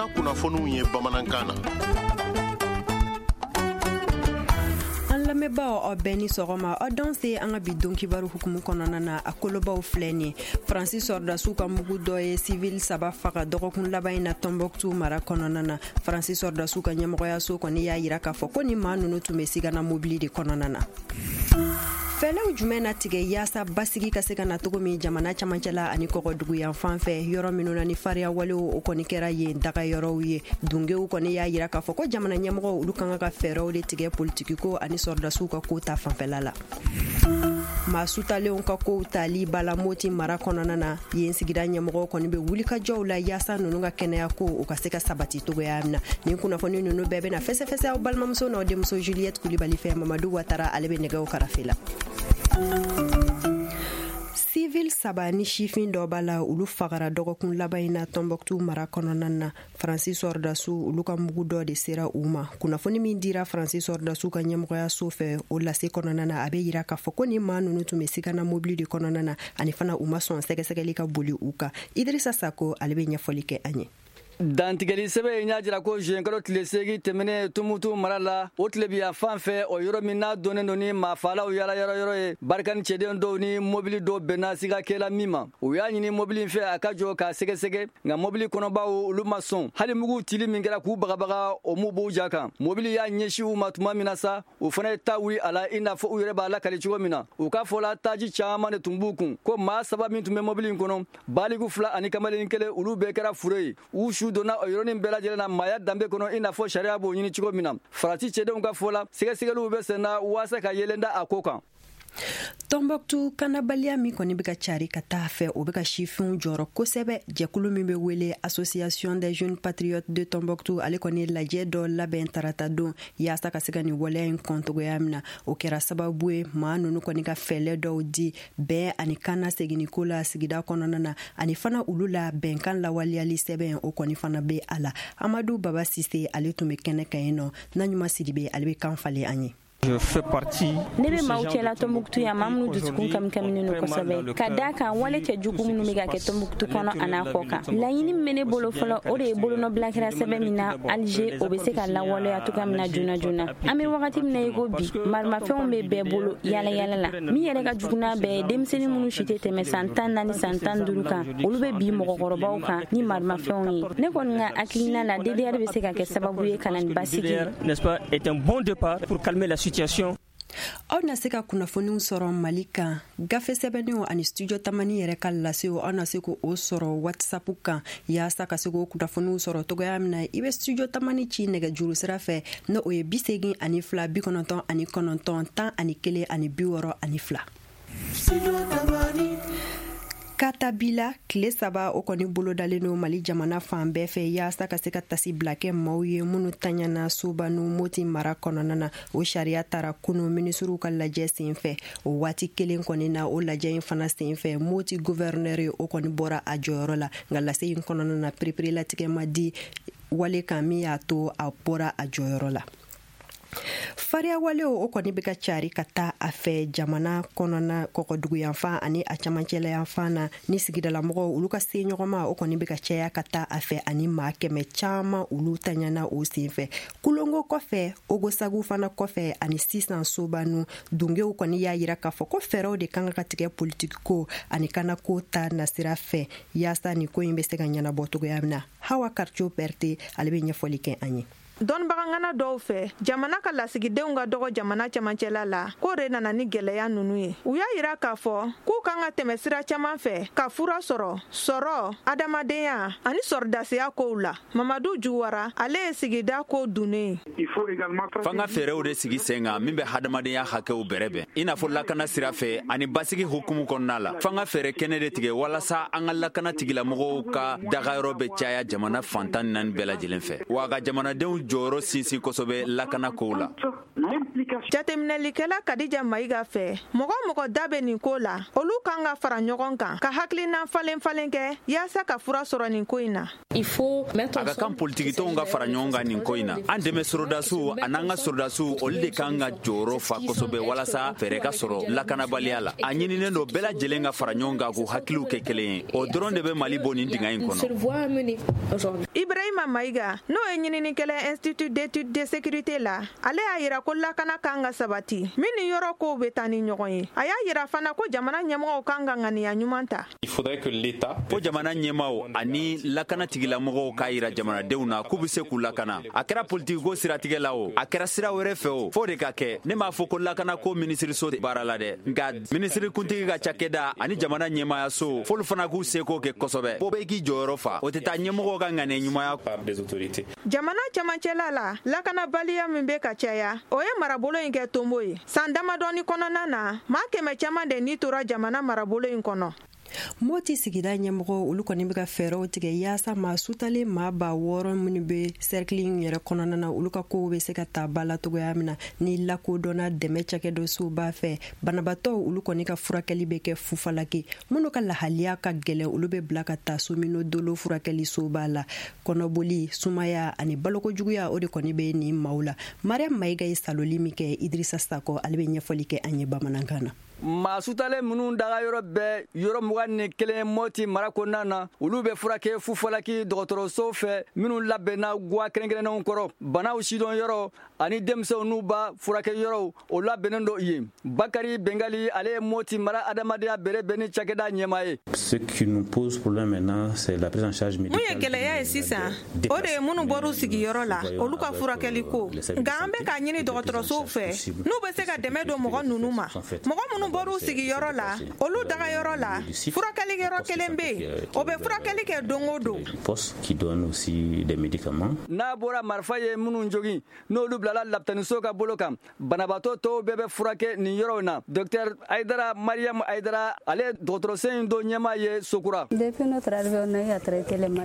Farafinna kunnafoniw ye bamanankan na. An lamɛnbaaw, aw bɛɛ ni sɔgɔma. Aw danse an ka bi don kibaru hukumu kɔnɔna na. A kolobaw filɛ nin: Faransi sɔrɔdasiw ka mugu dɔ ye sivili saba faga dɔgɔkun laban in na Tɔnbɔkutu mara kɔnɔna na. Faransi sɔrɔdasiw ka ɲɛmɔgɔyaso kɔni y'a yira k'a fɔ ko ni maa ninnu tun bɛ sigana mobili de kɔnɔna na. Fɛɛrɛw jumɛn na tigɛ yaasa basigi ka se ka na cogo min jamana camancɛla ani kɔgɔduguyan fan fɛ, yɔrɔ minnu na ni fariya walew o kɔni kɛra yen daga yɔrɔw ye? Dungew kɔni y'a yira k'a fɔ ko jamana ɲɛmɔgɔw, olu kan ka fɛɛrɛw de tigɛ politikiko ani sɔrɔdasiw ka ko ta fanfɛla la. Maa sutalenw ka kow tali bala Moti mara kɔnɔna na, yen sigida ɲɛmɔgɔw kɔni bɛ wulikajɔw la yaasa ninnu ka kɛnɛya ko o ka se ka sabati cogoya min na. Nin kunnafoni ninnu bɛɛ bɛna fɛsɛfɛsɛ aw balimamuso n'aw denmuso Juliette Kulibali fɛ. Mamadu Watara, ale bɛ nɛgɛw karafe la. Civil saba ni sifin dɔ b'a la, olu fagara dɔgɔkun laban in na Tɔnbɔkutu mara kɔnɔna na. Faransi sɔrɔdasiw, olu ka mugu dɔ de sera u ma. Kunnafoni min dira Faransi sɔrɔdasiw ka ɲɛmɔgɔyaso fɛ, o lase kɔnɔna na, a bɛ yira k'a fɔ ko ni maa ninnu tun bɛ sigana mobili de kɔnɔna na, ani fana u ma sɔn sɛgɛsɛgɛli ka boli u kan. Idirisa Sako, ale bɛ ɲɛfɔli kɛ an ye. Dantigɛli sɛbɛn in y'a jira ko zuwɛnkalo tile 8 tɛmɛnen, Tumutu mara la, o tilebiya fan fɛ, o yɔrɔ min n'a dɔnnen don ni maafaalaw yala yɔrɔ yɔrɔ ye, Barkhane cɛden dɔw ni mobili dɔw bɛnna sigakɛla min ma. U y'a ɲini mobili in fɛ a ka jɔ k'a sɛgɛsɛgɛ, nka mobili kɔnɔbaw, olu ma sɔn. Hali mugu cili min kɛra k'u bagabaga, o m'u b'u ja kan. Mobili y'a ɲɛsin u ma tuma min na sa, u fana ye ta wuli a la, i n'a fɔ u yɛrɛ b'a lakali cogo min na. U ka fɔ la, taji caman de tun b'u kun. Ko maa saba min tun bɛ mobili in kɔnɔ, baliku fila ani kamalen kelen, olu bɛɛ kɛra fure ye. U su donna o yɔrɔnin bɛɛ lajɛlen na maaya danbe kɔnɔ, i n'a fɔ sariya b'o ɲini cogo min na. Faransi cɛdenw ka fɔ la, sɛgɛsɛgɛliw bɛ sen na waasa ka yelen da a ko kan. Tɔnbɔkutu kanabaliya min kɔni bɛ ka cari ka taa fɛ, o bɛ ka sifinw jɔrɔ kosɛbɛ. Jɛkulu min bɛ wele Association des jeunes patriotes de Tombouctou, ale kɔni ye lajɛ dɔ labɛn tarata don yaasa ka se ka nin waleya in kɔn cogoya min na. O kɛra sababu ye maa ninnu kɔni ka fɛɛlɛ dɔw di bɛn ani kana seginni ko la sigida kɔnɔna na, ani fana olu la bɛnkan lawaleyali sɛbɛn, o kɔni fana bɛ a la. Amadu Baba Sise, ale tun bɛ kɛnɛ kan yen nɔ. Naɲuman Sidibe, ale bɛ kan falen an ye. Ne bɛ maaw cɛla Tɔnbukutu yan, maa minnu dusukun kamikaminen don kosɛbɛ, ka da kan wale cɛ jugu minnu bɛ ka kɛ Tɔnbukutu kɔnɔ an'a kɔ kan. Laɲini min bɛ ne bolo fɔlɔ, o de ye bolonɔbila kɛra sɛbɛn min na Alger, o bɛ se ka lawaleya cogoya min na joona joona. An bɛ wagati min na i ko bi, marimafɛnw bɛ bɛɛ bolo yala yala la. Min yɛrɛ ka jugu n'a bɛɛ ye, denmisɛnnin minnu si tɛ tɛmɛ san 14, san 15 kan, olu bɛ bin mɔgɔkɔrɔbaw kan ni marimafɛnw ye. Ne kɔni ka hakilina la, DDR bɛ se ka kɛ sababu ye ka na ni basigi ye. N'est-ce pas, est un bon départ pour calmer la situation. Aw na se ka kunnafoniw sɔrɔ Mali kan, gafe sɛbɛnniw ani Studio Tamani yɛrɛ ka lasew, aw na se k'o sɔrɔ WhatsApp kan. Yaasa ka se k'o kunnafoniw sɔrɔ cogoya min na, i bɛ Studio Tamani ci nɛgɛjuru sira fɛ, n'o o ye 82 99 11 62. Katabila tile 3, o kɔni bolodalen don Mali jamana fan bɛɛ fɛ yaasa ka se ka tasibila kɛ maaw ye minnu taɲana Sobanu, Moti mara kɔnɔna na. O sariya tara kunu minisiriw ka lajɛ sen fɛ. O waati kelen kɔni na, o lajɛ in fana sen fɛ, Moti gouverneur, o kɔni bɔra a jɔyɔrɔ la. Nka lase in kɔnɔna na, pereperelatigɛ ma di wale kan min y'a to a bɔra a jɔyɔrɔ la. Fariyawalew, o kɔni bɛ ka cari ka taa a fɛ jamana kɔnɔna kɔkɔduguyanfan ani a camancɛlayanfan na, ni sigidalamɔgɔw, olu ka se ɲɔgɔnma, o kɔni bɛ ka caya ka taa a fɛ, ani maa 100 caman, olu taɲana o sen fɛ. Kulongo kɔfɛ, Ogosagu fana kɔfɛ, ani sisan Sobanu, dungew kɔni y'a yira k'a fɔ ko fɛɛrɛw de kan ka tigɛ politiki ko ani kanako ta nasira fɛ yaasa nin ko in bɛ se ka ɲɛnabɔ cogoya min na. Hawa Karco Berte, ale bɛ ɲɛfɔli kɛ an ye. Dɔnnibagangana dɔw fɛ, jamana ka lasigidenw ka dɔgɔ jamana cɛmancɛla la, k'o de nana ni gɛlɛya ninnu ye. U y'a yira k'a fɔ k'u kan ka tɛmɛ sira caman fɛ ka fura sɔrɔ sɔrɔ, adamadenya ani sɔrɔdasiya kow la. Mamadu Juwara, ale ye sigida ko dunnen ye. F'an ka fɛɛrɛw de sigi sen kan min bɛ hadamadenya hakɛw bɛrɛbɛn, i n'a fɔ lakana sira fɛ ani basigi hukumu kɔnɔna la. F'an ka fɛɛrɛ kɛnɛ de tigɛ walasa an ka lakana tigilamɔgɔw ka dagayɔrɔ bɛ caya jamana fan 14 bɛɛ lajɛlen fɛ, wa ka jamanadenw jɔyɔrɔ sinsin kosɛbɛ lakana kow la. Jateminɛlikɛla Kadija Mayiga fɛ, mɔgɔ o mɔgɔ da bɛ nin ko la, olu kan ka fara ɲɔgɔn kan ka hakilina falen falen kɛ yaasa ka fura sɔrɔ nin ko in na. A ka kan politikitɔnw ka fara ɲɔgɔn kan nin ko in na. An dɛmɛ sorodasiw an'an ka sorodasiw, olu de kan ka jɔyɔrɔ fa kosɛbɛ walasa fɛɛrɛ ka sɔrɔ lakanabaliya la. A ɲininen don bɛɛ lajɛlen ka fara ɲɔgɔn kan k'u hakiliw kɛ kelen ye. O dɔrɔn de bɛ Mali bɔ nin dingɛ in kɔnɔ. Ibrahima Mayiga, n'o ye ɲininikɛla Institut d'études de sécurité la, ale y'a yira ko lakana kan ka sabati min ni yɔrɔ kow bɛ taa ni ɲɔgɔn ye. A y'a yira fana ko jamana ɲɛmɔgɔw kan ka ŋaniya ɲuman ta. Ko jamana ɲɛmaaw ani lakana tigilamɔgɔw k'a yira jamanadenw na k'u bɛ se k'u lakana. A kɛra politikiko siratigɛ la o, a kɛra sira wɛrɛ fɛ o, f'o de ka kɛ. Ne m'a fɔ ko lakanako minisiriso tɛ baara la dɛ, nka minisiri kuntigi ka cakɛda ani jamana ɲɛmaayaso, f'olu fana k'u seko kɛ kosɛbɛ. Fo bɛɛ k'i jɔyɔrɔ fa. O tɛ taa ɲɛmɔgɔw ka ŋaniya ɲumanya. Jamana cɛmancɛla la, lakanabaliya min bɛ ka caya, o ye marabolo in kɛ tonbo ye. San damadɔni kɔnɔna na, maa 100 caman de ni tora jamana marabolo in kɔnɔ. Moti sigida ɲɛmɔgɔ, olu kɔni bɛ ka fɛɛrɛw tigɛ yaasa maa sutalen maa 6000 minnu bɛ sɛrikili in yɛrɛ kɔnɔna na, olu ka kow bɛ se ka ta ba la cogoya min na ni lakodɔnna dɛmɛ cakɛdɔsoba fɛ. Banabaatɔw, olu kɔni ka furakɛli bɛ kɛ fufalaki. Minnu ka lahaliya ka gɛlɛn, olu bɛ bila ka taa Somino Dolo furakɛli soba la. Kɔnɔboli, sumaya ani balokojuguya, o de kɔni bɛ nin maaw la. Mariam Mayiga ye saloli min kɛ, Idrissa Sakɔ, ale bɛ ɲɛfɔli kɛ an ye bamanankan na. Maa sutalen minnu daga yɔrɔ bɛɛ yɔrɔ 21 Moti mara kɔnɔna na, olu bɛ furakɛ fufalaki dɔgɔtɔrɔso fɛ minnu labɛnna guwa kɛrɛnkɛrɛnnenw kɔrɔ. Banaw sidɔn yɔrɔ ani denmisɛnw n'u ba furakɛ yɔrɔw, o labɛnnen don yen. Bakari Bengali, ale ye Moti mara adamadenya bɛrɛ bɛn ni cakɛda ɲɛmaa ye. Ce qui nous pose problème maintenant, c'est la prise en charge médicale. Mun ye gɛlɛya ye sisan, o de ye minnu bɔr'u sigiyɔrɔ la, olu ka furakɛli ko. Nka an bɛ k'a ɲini dɔgɔtɔrɔsow fɛ n'u bɛ se ka dɛmɛ don mɔgɔ ninnu ma. Mɔgɔ minnu bɔr'u sigiyɔrɔ la, olu dagayɔrɔ la, furakɛli yɔrɔ kelen bɛ yen, o bɛ furakɛli kɛ don o don. N'a bɔra marifa ye minnu jogin, n'olu bilala lapitaniso ka bolo kan, banabaatɔ tɔw bɛɛ bɛ furakɛ nin yɔrɔw na. Docteur Aydara Mariam Aydara, ale dɔgɔtɔrɔso in dɔ ɲɛmaa ye Sokura.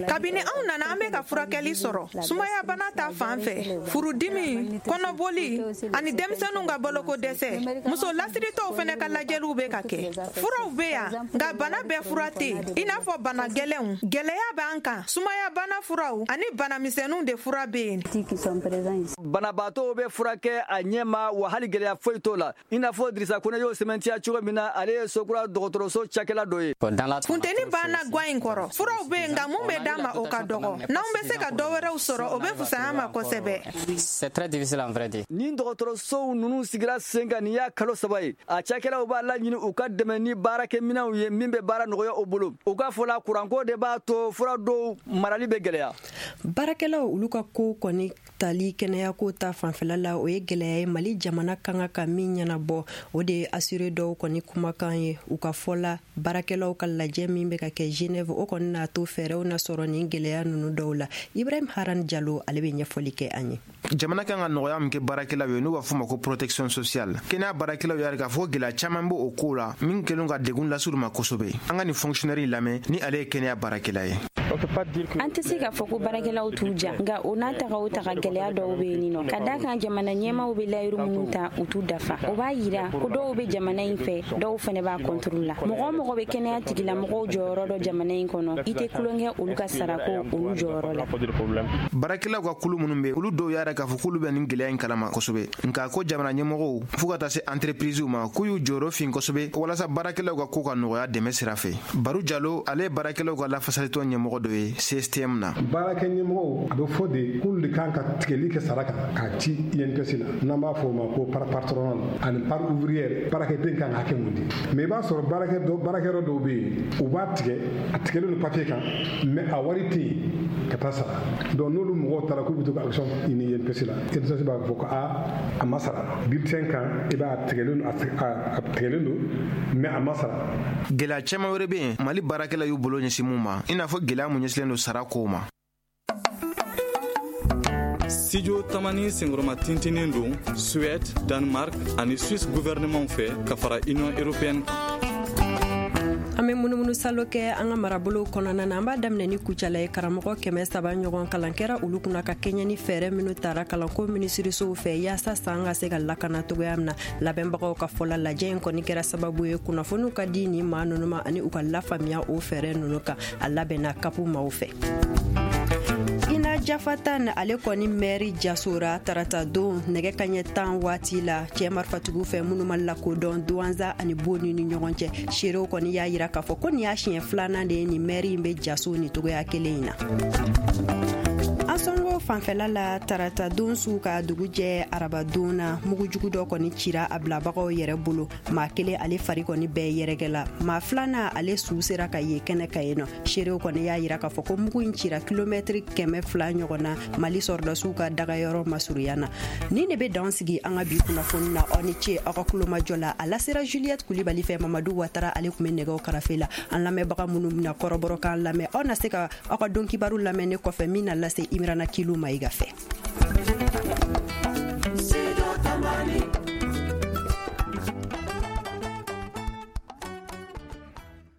Kabini anw nana, an bɛ ka furakɛli sɔrɔ sumaya bana ta fan fɛ, furudimi, kɔnɔboli ani denmisɛnninw ka baloko dɛsɛ. Muso lasiritɔw fana ka lajɛliw bɛ ka kɛ. Furaw bɛ yan, nka bana bɛɛ fura tɛ yen, i n'a fɔ bana gɛlɛnw. Gɛlɛya b'an kan, sumaya bana furaw ani bana misɛnninw de fura bɛ yen. Banabaatɔw bɛ furakɛ a ɲɛ ma, wa hali gɛlɛya foyi t'o la, i n'a fɔ Dirisa Kone y'o sɛmɛntiya cogo min na, ale ye Sokura dɔgɔtɔrɔso cakɛla dɔ ye. Funteni banna guwan in kɔrɔ. Furaw bɛ yen, nka mun bɛ d'an ma, o ka dɔgɔ. N'anw bɛ se ka dɔ wɛrɛw sɔrɔ, o bɛ fisaya ma kosɛbɛ. Nin dɔgɔtɔrɔsow ninnu sigira sen kan nin y'a kalo 3 ye. A cakɛlaw b'a laɲini u ka dɛmɛ ni baarakɛminɛnw ye min bɛ baara nɔgɔya u bolo. U ka fɔ la, kuranko de b'a to fura dɔw marali bɛ gɛlɛya. Baarakɛlaw, olu ka ko kɔni tali kɛnɛyako ta fanfɛla la, o ye gɛlɛya ye Mali jamana kan ka min ɲɛnabɔ. O de ye assuré dɔw kɔni kumakan ye. U ka fɔ la, baarakɛlaw ka lajɛ min bɛ ka kɛ Genève, o kɔni n'a to fɛɛrɛw na sɔrɔ nin gɛlɛya ninnu dɔw la. Ibrahim Haran Jalo, ale bɛ ɲɛfɔli kɛ an ye. Jamana kan ka nɔgɔya min kɛ baarakɛlaw ye, n'u b'a fɔ ma ko protection sociale, kɛnɛya baarakɛlaw y'a k'a fɔ gɛlɛya caman b'o o ko la min kɛlen ka degun las'u ma kosɛbɛ. An ka nin fonctionnaire lamɛn, ni ale ye kɛnɛya baarakɛla ye. An tɛ se k'a fɔ ko baarakɛlaw t'u ja, nka o n'a taga o taga, gɛlɛya dɔw bɛ yen nɔ, ka da kan jamana ɲɛmaaw bɛ layiru minnu ta, u t'u dafa. O b'a yira ko dɔw bɛ jamana in fɛ, dɔw fana b'a contre la. Mɔgɔ o mɔgɔ bɛ kɛnɛya tigilamɔgɔw jɔyɔrɔ dɔn jamana in kɔnɔ, i tɛ tulonkɛ olu ka sarako olu jɔyɔrɔ la. Baarakɛlaw ka kulu minnu bɛ, olu dɔw y'a yira k'a fɔ k'olu bɛ nin gɛlɛya in kalama kosɛbɛ, nka ko jamana ɲɛmɔgɔw fo ka taa se entreprisew ma, k'u y'u jɔyɔrɔ fin kosɛbɛ walasa baarakɛlaw ka ko ka nɔgɔya dɛmɛ sira fɛ. Baru Jalo, ale ye baarakɛlaw ka lafasalitɔn ɲɛmɔgɔ dɔ ye CSTM na. Baarakɛ ɲɛmɔgɔw, a bɛ fɔ de k'olu de kan ka tigɛli kɛ sara kan k'a ci INPS la, n'an b'a fɔ o ma ko part patronale ani part ouvrière. Baarakɛden kan ka hakɛ mun di? Mais i b'a sɔrɔ baarakɛyɔrɔ dɔw bɛ yen, u b'a tigɛ, a tigɛlen don papier kan, mais a wari tɛ yen ka taa sara. Donc n'olu mɔgɔw taara k'u bɛ to ka action ɲini INPS la, INPS b'a fɔ ko a ma sara. Bulletin kan, i b'a tigɛlen don, a tigɛlen don, mais a ma sara. Gɛlɛya caman wɛrɛ bɛ yen Mali baarakɛla y'u bolo ɲɛsin mun ma, i n'a fɔ gɛlɛya mun ɲɛsilen don sara kow ma. Studio Tamani senkɔrɔma tintinin don Suède, Danemark ani Suisse gouvernement fɛ ka fara Union européenne kan. An bɛ munumunu salo kɛ an ka marabolow kɔnɔna na. An b'a daminɛ ni Kucala ye. Karamɔgɔ 300 ɲɔgɔn kalan kɛra olu kunna ka kɛɲɛ ni fɛɛrɛ minnu tara kalanko minisirisow fɛ yaasa san ka se ka lakana cogoya min na. Labɛnbagaw ka fɔ la, lajɛ in kɔni kɛra sababu ye kunnafoniw ka di nin maa ninnu ma ani u ka lafaamuya o fɛɛrɛ ninnu kan. A labɛnna kapu maaw fɛ. Ina Jafatan, ale kɔni mɛri jasora tarata don nɛgɛ kaɲɛ 10 waati la cɛɛ marifatigiw fɛ minnu ma lakodɔn Duwanza ani Boni ni ɲɔgɔn cɛ. Seerew kɔni y'a yira k'a fɔ ko nin y'a siɲɛ filanan de ye nin mɛri in bɛ jaso ni togoya kelen in na. Ansɔngo fanfɛla la, tarata don su ka dugu jɛ arabadon na, mugujugu dɔ kɔni cira a bilabagaw yɛrɛ bolo. Maa kelen, ale fari kɔni bɛɛ yɛrɛkɛla. Maa filanan, ale su sera ka ye kɛnɛ ka yen nɔ. Seerew kɔni y'a yira k'a fɔ ko mugu in cira kilomɛtiri 200 ɲɔgɔn na Mali sɔrɔdasiw ka dagayɔrɔ masurunya na. Nin de bɛ dan sigi an ka bi kunnafoni na. Aw ni ce aw ka kulomajɔ la. A lasera Juliette Kulibali fɛ. Mamadu Watara, ale tun bɛ nɛgɛw karafe la. An lamɛnbaga minnu bɛna kɔrɔbɔrɔkan lamɛn, aw na se ka aw ka don kibaru lamɛn ne kɔfɛ min na lase Imirana Kilu Mayiga fɛ.